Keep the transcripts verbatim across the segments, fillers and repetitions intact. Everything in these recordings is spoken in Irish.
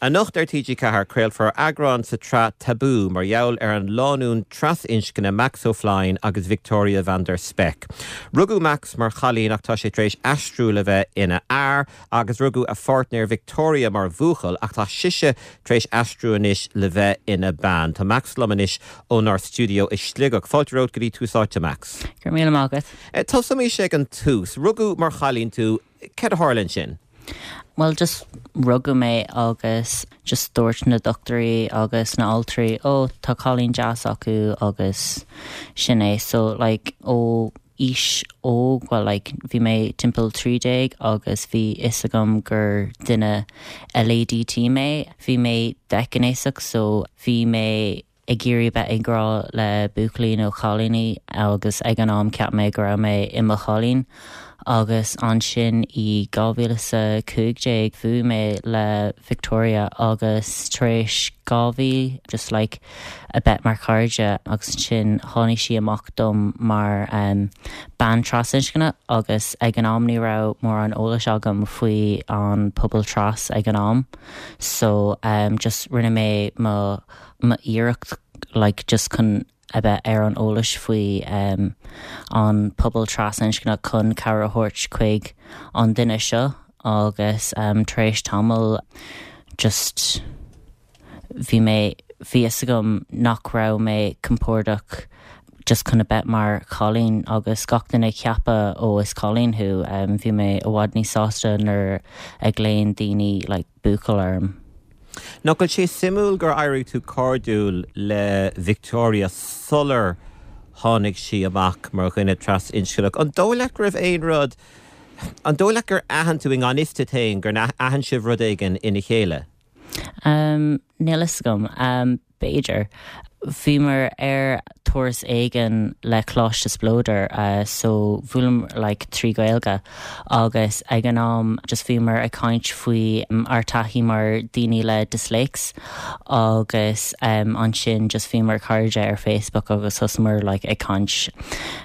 Anocht ar TG Ceathair craolfar eagrán sa tsraith Tabú mar gheall ar an lánúin trasinscne Max O'Flynn agus Victoria van der Spek. Rugadh Max mar chailín ach tá sé tar éis aistriú le bheith ina fhear agus rugadh a pháirtnéir Victoria mar bhuachaill ach tá sise tar éis aistriú anois le bheith ina bean. Tá Max liom anois ónár stiúideo i Sligeach. Fáilte romhat go dtí Tús Áite Max. Gur mí agat. Eh, Tosóimid ag an tús, rugadh mar chailín tú cad a tharla sin. Well just rugadh mé agus just dúirt na dochtúirí agus na altraí ó tá cailín deas acu agus sin é so like ó aois óg well like bhí mé timpeall trí déag agus bhí fhios agam gur duine LADT mé bhí mé déghnéasach so bhí mé ag iarraidh bheith ag rá le buachaillí nó cailíní agus ag an am cheap mé go raibh mé i mo chailín. agus ansin i dhá mhíle a cúig déag bhuail mé le Victoria agus tar éis dhá mhí just like a bheith mar chairde agus sin tháinig sí amach dom mar um, bean trasinscne agus ag an am ní raibh mórán eolais agam faoi an pobal tras ag an am so um, just rinne mé mo iarracht like just chun a bheith ar an eolas faoi um, an pobal trasinscne chun cabhair a thabhairt chuig an duine seo agus um, tar éis tamall just bhí mé bhí fhios agam nach raibh mé compordach just chun a bheith mar chailín agus gach duine ceapadh ó is cailín thú um, bhí mé i bhfad níos sásta nuair a ghlaonn daoine like, buachaill orm. Nach bhfuil sé suimiúil gur éirigh tú cairdiúil le Victoria sular tháinig sí amach mar dhuine trasinscneach. An dóigh leat go raibh aon rud an dóigh leat gur aithin tú in gan fhios duit féin gur aithin sibh rud éigin ina chéile? Um, Níl fhios agam um, b'fhéidir. Bhíomar ar turas éigin le Coláiste Spleodar uh, so bhuaileamar like, trí Gaeilge agus ag an am just bhíomar ag caint faoi um, ár dtaithí mar daoine le dyslex agus um, ansin just bhíomar cairde ar Facebook agus thosaíomar like, ag caint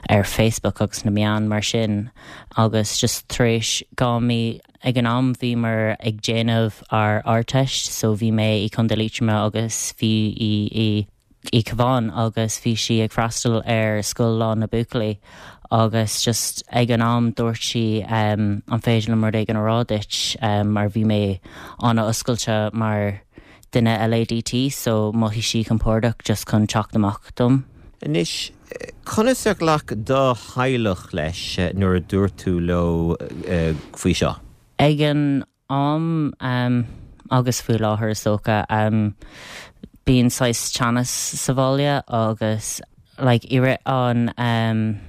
ar Facebook agus na meáin mar sin agus just tar éis dhá mhí ag an am bhíomar ag déanamh ar Ardteist so bhí mé i Contae Liatroma agus bhí i i i Cabhán agus bhí sí ag freastal ar scoil lá na buachaillí agus just ag an am dúirt sí um, an féidir liom rud éigin a rá duit um, mar bhí mé an-oscailte mar duine LADT so mhothaigh sí compordach just chun teacht amach dom. Anois conas ar ghlac do theaghlach leis nuair a dúirt tú leo uh, faoi seo. Ag an am um, agus faoi láthair is dócha um, bíonn saghas teannas sa bhaile agus like, i rith an um,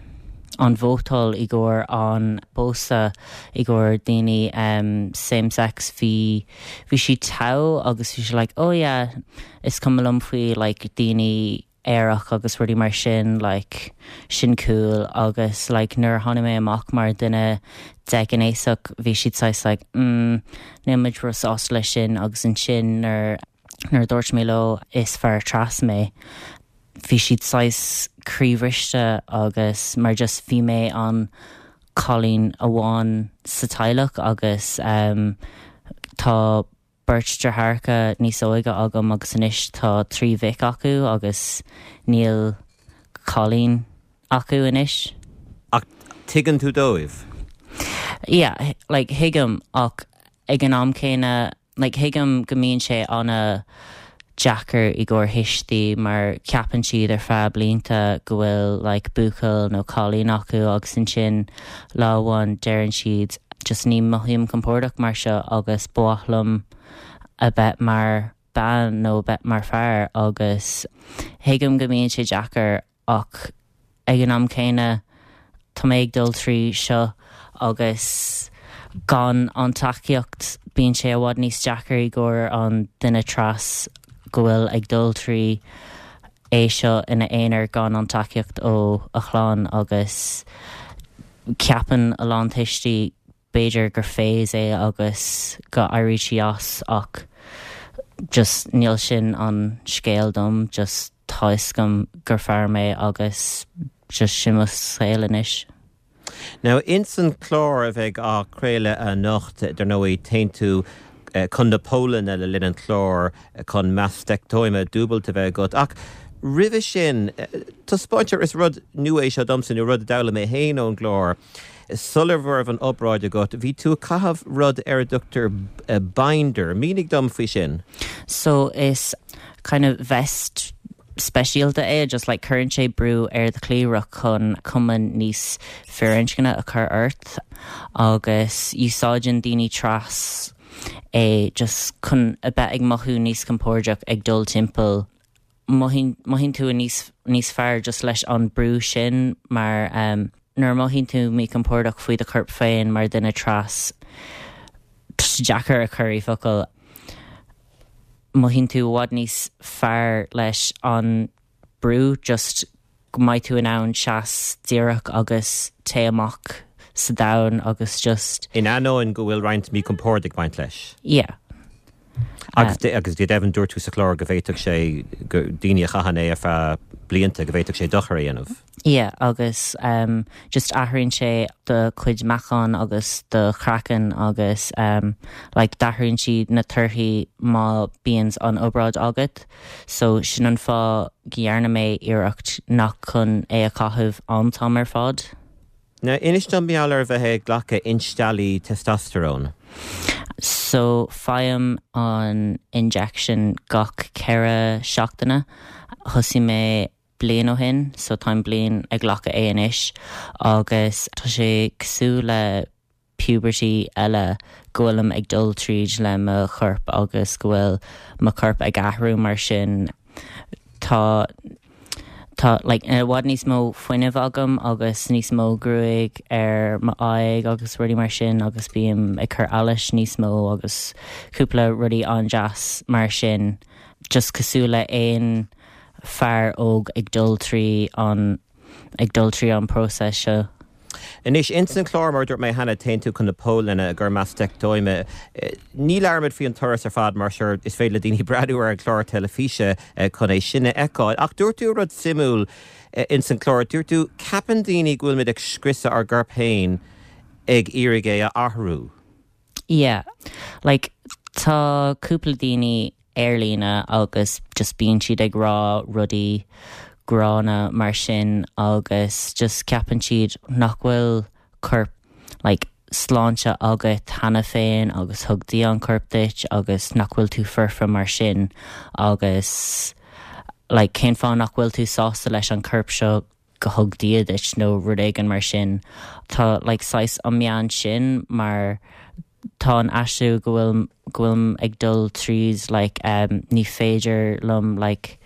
an vótáil i gcomhair an pósadh i gcomhair daoine um, same sex bhí bhí sí togha agus bhí sí like oh yeah is cuma liom faoi like daoine aerach agus rudaí mar sin like sin cool agus like nuair tháinig mé amach mar duine déghnéasach bhí siad saghas like mm, níl muid róshásta leis sin agus ansin nuair nuair dúirt mé leo is fear tras mé bhí siad saghas croíbhriste agus mar just bhí mé an cailín amháin sa teaghlach agus um, tá beirt deartháireacha níos óige agam agus anois tá trí mhic acu agus níl cailín acu anois. Ach tuigeann tú dóibh? Yeah, like tuigim ach ag an am céanna like tuigim go mbíonn sé an-deacair i gcomhair tuistí mar ceapann siad ar feadh blianta go bhfuil like buachaill nó cailín acu agus ansin lá amháin deireann siad just ní mothaím compordach mar seo agus ba mhaith liom a bheith mar bean nó bheith mar fear agus tuigim go mbíonn sé deacair ach ag an am céanna tá mé ag dul trí seo agus gan an tacaíocht bíonn sé i bhfad níos deacair i gcomhair an duine tras go bhfuil ag dul trí é seo ina aonar gan an tacaíocht ó a chlann agus ceapann a lán tuistí b'fhéidir gur phase é agus go n-éireoidh sí as ach just níl sin an scéal dom just tá fhios agam gur fear mé agus just sin mo shaol anois. Now ins an clár a bheidh á chraoladh anocht dar ndóigh téann tú chun na Polainne le linn an chláir chun mastectomy dúbailte a bheith agat. Ach roimhe sin taispeántar is rud nua é seo domsa nó rud a d'fhoghlaim mé féin ón gclár. Sula raibh an obráid agat, bhí tú ag caitheamh rud ar a dtugtar binder, Mínigh dom faoi sin. So is kind of vest speisialta é just like cuireann sé brú ar do chliabhrach chun cuma níos firinscne a chur ort agus úsáideann daoine tras é just chun a bheith ag mothú níos compordach ag dul timpeall mothaíonn tú níos níos fearr just leis an brú sin mar um, nuair mothaíonn tú míchompordach faoi do chorp féin mar duine tras deacair a chur i bhfocail mothaíonn tú i bhfad níos fearr leis an brú just go mbeidh tú in ann seas díreach agus téigh amach sa domhan agus just In ainneoin go bhfuil roinnt míchompord ag baint leis. Yeah. Agus uh, agus go deimhin dúirt tú sa chlár go bhféadfadh sé go daoine a chaitheann é ar feadh blianta go bhféadfadh sé dochar a dhéanamh. Yeah, agus um, just athraíonn sé do chuid meachán agus do chraiceann agus um, like, d'athraíonn siad na torthaí má bíonn an obráid agat, so sin an fáth go ndearna mé iarracht nach chun é a chaitheamh an t-am ar fad. Now inis dom mar gheall ar bheith ag glacadh insteallaí testosterone. So faighim an injection gach ceithre seachtaine thosaigh mé bliain ó shin, so táim bliain ag glacadh é anois agus tá sé cosúil le puberty eile go bhfuilim ag dul tríd le mo chorp agus go bhfuil mo chorp ag athrú mar sin tá Tá like, i bhfad níos mó fuinnimh agam agus níos mó gruaig ar m'aghaidh agus rudaí mar sin agus bím ag cur allais níos mó agus cúpla rudaí an-deas mar sin just cosúil le aon fear óg ag dul trí an ag dul trí an process seo. Anois ins an chlár mar dúirt mé cheana téann tú chun na Polainne gur mastectomy. Ní labhróimid faoin turas ar fad mar sure is féidir le daoine breathnú ar an chlár teilifíse chun é sin a fheiceáil. Ach dúirt tú rud suimiúil ins an chlár, dúirt tú ceapann daoine go bhfuilimid ag scriosadh ár gcorp féin ag iarraidh é a athrú. Yeah, like tá cúpla daoine ar líne agus just bíonn siad ag rá rudaí gránna mar sin agus just ceapann siad nach bhfuil corp like, sláinte agat cheana féin agus thug Dia an corp duit agus nach bhfuil tú foirfe mar sin agus like, cén fáth nach bhfuil tú sásta leis an corp seo go thug Dia duit nó rud éigin mar sin Tá like, saghas an meon sin mar tá an aistriú go bhfuil go bhfuilim ag dul tríd like, um, ní féidir liom like,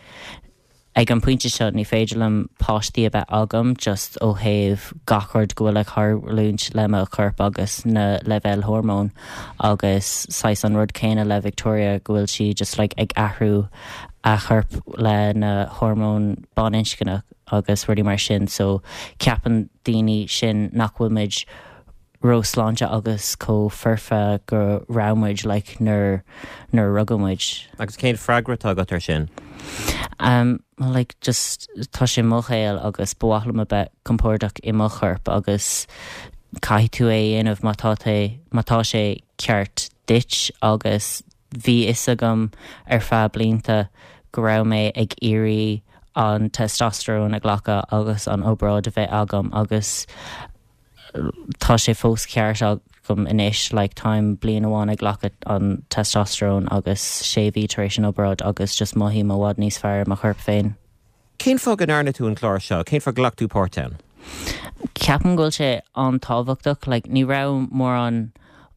ag an pointe seo ní féidir liom páistí a bheith agam just ó thaobh gach rud go bhfuil ag tarlúint le mo chorp agus na leibhéil hormón agus saghas an rud céanna le Victoria go bhfuil sí just like, ag athrú a chorp le na hormón baininscneach agus rudaí mar sin so ceapann daoine sin nach bhfuil muid róshláinte agus chomh foirfe go raibh muid like, nuair nuair rugadh muid. Agus cén freagra atá agat ar sin? Um, well, like, just tá sé mo shaol agus ba mhaith liom a bheith compordach i mo chorp agus caithfidh tú é dhéanamh má tá má tá sé ceart duit agus bhí fhios agam ar feadh blianta go raibh mé ag iarraidh an testosterone a ghlacadh agus an obráid a bheith agam agus tá sé fós ceart agam anois like, táim bliain amháin ag glacadh an testosterone agus sé mhí tar éis an obráid agus just mothaím i bhfad níos fearr mo chorp féin. Cén fáth go ndearna tú an clár seo, cén fáth ghlac tú páirt ann? Ceapaim go bhfuil sé an-tábhachtach, like, ní raibh mórán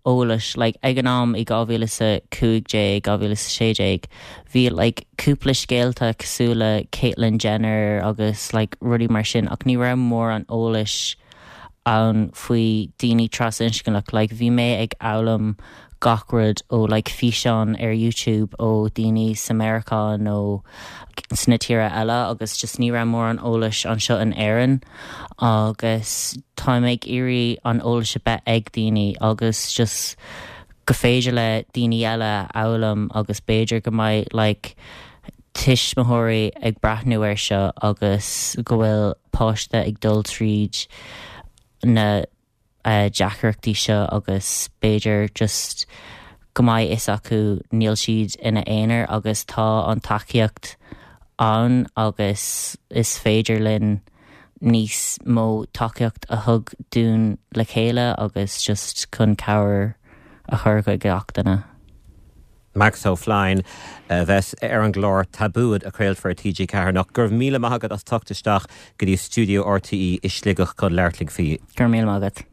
eolais like, ag an am i dhá mhíle a cúig déag dhá mhíle sé déag bhí like, cúpla scéalta cosúil le Caitlyn Jenner agus like, rudaí mar sin ach ní raibh mórán eolais ann faoi daoine trasinscneach like, bhí mé ag foghlaim gach rud ó like, físeán ar YouTube ó daoine sa Meiriceá nó sna tíortha eile agus just ní raibh mórán eolais anseo in Éirinn agus táim ag iarraidh an eolas a bheith ag daoine agus just go féidir le daoine eile foghlaim agus b'fhéidir go mbeidh like, tuismitheoirí ag breathnú air seo agus go bhfuil páiste ag dul tríd na uh, deacrachtaí seo agus b'fhéidir just go mbeidh fhios acu níl siad ina aonar agus tá an tacaíocht ann agus is féidir linn níos mó tacaíocht a thug dúinn le chéile agus just chun cabhair a chur go gach duine. Max O'Flynn a bheas ar an gclár Tabú a chraolfar TG Ceathair anocht go raibh míle maith agat as teacht isteach go dtí stiúideo RTÉ i Sligeach chun labhairt linn faoi. Gur míle agat.